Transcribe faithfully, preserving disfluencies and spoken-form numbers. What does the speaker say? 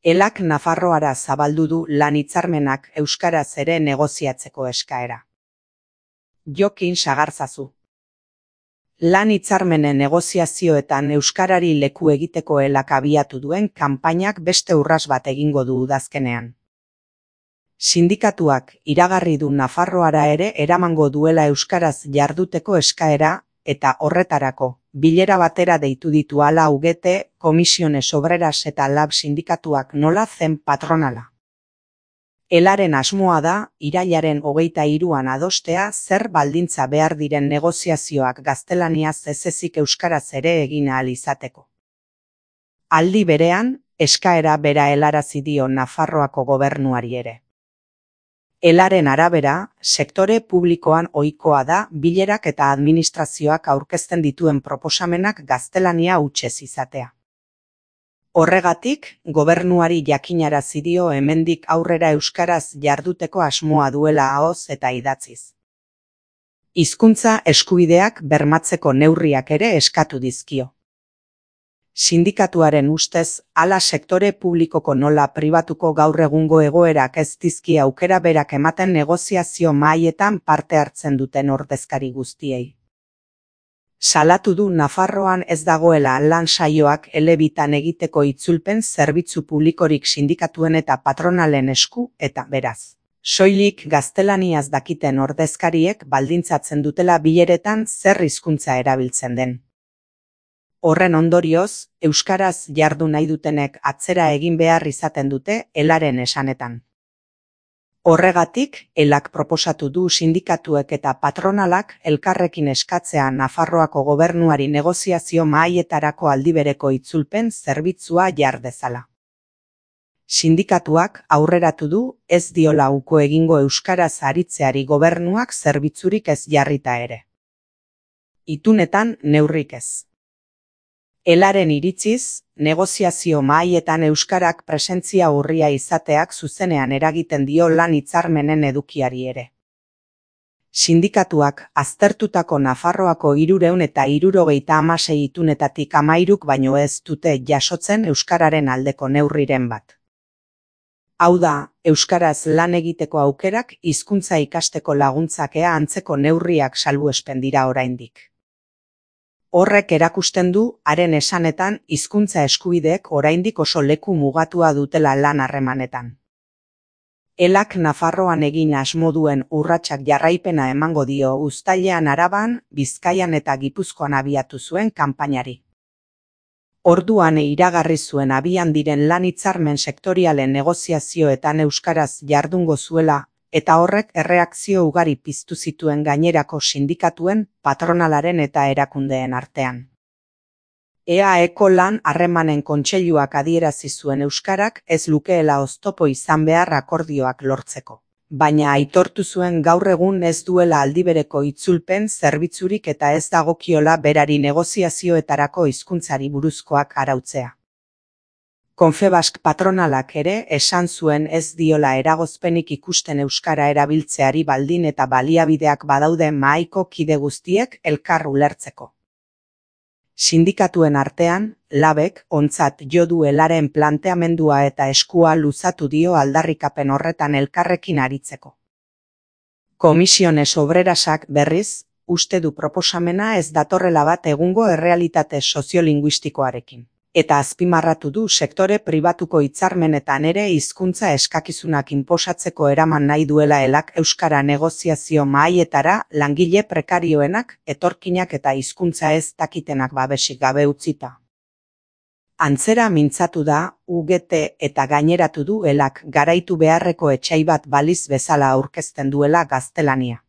Elak Nafarroara zabaldu du lan hitzarmenak euskaraz ere negoziatzeko eskaera. Jokin Sagarzazu. Lan hitzarmenen negoziazioetan euskarari leku egiteko Elak abiatu duen kanpainak beste urras bat egingo du udazkenean. Sindikatuak iragarri du Nafarroara ere eramango duela euskaraz jarduteko eskaera, eta horretarako, bilera batera deitu ditu hala U G T, Comisiones Obreras eta Lab sindikatuak nola zen patronala. Elaren asmoa da, irailaren hogeita hiruan adostea zer baldintza behar diren negoziazioak gaztelaniaz ez ezik euskaraz ere egin ahal izateko. Aldi berean, eskaera bera helarazi dio Nafarroako gobernuari ere. Elaren arabera, sektore publikoan ohikoa da bilerak eta administrazioak aurkezten dituen proposamenak gaztelania hutsez izatea. Horregatik, gobernuari jakinarazi dio hemendik aurrera euskaraz jarduteko asmoa duela ahoz eta idatziz. Hizkuntza eskubideak bermatzeko neurriak ere eskatu dizkio. Sindikatuaren ustez, hala sektore publikoko nola pribatuko gaur egungo egoerak ez dizkie aukera berak ematen negoziazio mahaietan parte hartzen duten ordezkari guztiei. Salatu du Nafarroan ez dagoela lan saioak elebitan egiteko itzulpen zerbitzu publikorik sindikatuen eta patronalen esku eta beraz. Soilik gaztelaniaz dakiten ordezkariek baldintzatzen dutela bileretan zer hizkuntza erabiltzen den. Horren ondorioz, euskaraz jardu nahi dutenek atzera egin behar izaten dute Elaren esanetan. Horregatik, Elak proposatu du sindikatuek eta patronalak elkarrekin eskatzea Nafarroako gobernuari negoziazio mahaietarako aldibereko itzulpen zerbitzua jar dezala. Sindikatuak aurreratu du ez diola uko egingo euskaraz aritzeari gobernuak zerbitzurik ez jarrita ere. Itunetan neurrik ez. Elaren iritziz, negoziazio mahaietan euskarak presentzia urria izateak zuzenean eragiten dio lan hitzarmenen edukiari ere. Sindikatuak aztertutako Nafarroako hirurehun eta hirurogeita hamasei itunetatik hamairuk baino ez dute jasotzen euskararen aldeko neurriren bat. Hau da, euskaraz lan egiteko aukerak hizkuntza ikasteko laguntzakea antzeko neurriak salbuespen dira oraindik. Horrek erakusten du, haren esanetan, hizkuntza eskubideek oraindik oso leku mugatua dutela lan harremanetan. Elak Nafarroan egin asmo duen urratsak jarraipena emango dio uztailean Araban, Bizkaian eta Gipuzkoan abiatu zuen kanpainari. Orduan iragarri zuen abian diren lan hitzarmen sektorialen negoziazioetan euskaraz jardungo zuela, eta horrek erreakzio ugari piztu zituen gainerako sindikatuen, patronalaren eta erakundeen artean. E A Eko lan harremanen kontseiluak adierazi zuen euskarak ez lukeela oztopo izan behar akordioak lortzeko. Baina aitortu zuen gaur egun ez duela aldibereko itzulpen zerbitzurik eta ez dagokiola berari negoziazioetarako hizkuntzari buruzkoak arautzea. Confebask patronalak ere esan zuen ez diola eragozpenik ikusten euskara erabiltzeari baldin eta baliabideak badaude mahaiko kide guztiek elkar ulertzeko. Sindikatuen artean, Labek ontzat jo du Elaren planteamendua eta eskua luzatu dio aldarrikapen horretan elkarrekin aritzeko. Comisiones Obrerasak berriz, uste du proposamena ez datorrela bat egungo errealitate soziolinguistikoarekin. Eta azpimarratu du sektore pribatuko hitzarmenetan ere hizkuntza eskakizunak inposatzeko eraman nahi duela Elak euskara negoziazio mahaietara langile prekarioenak, etorkinak eta hizkuntza ez dakitenak babesik gabe utzita. Antzera mintzatu da, U G T eta gaineratu du Elak garaitu beharreko etsai bat baliz bezala aurkezten duela gaztelania.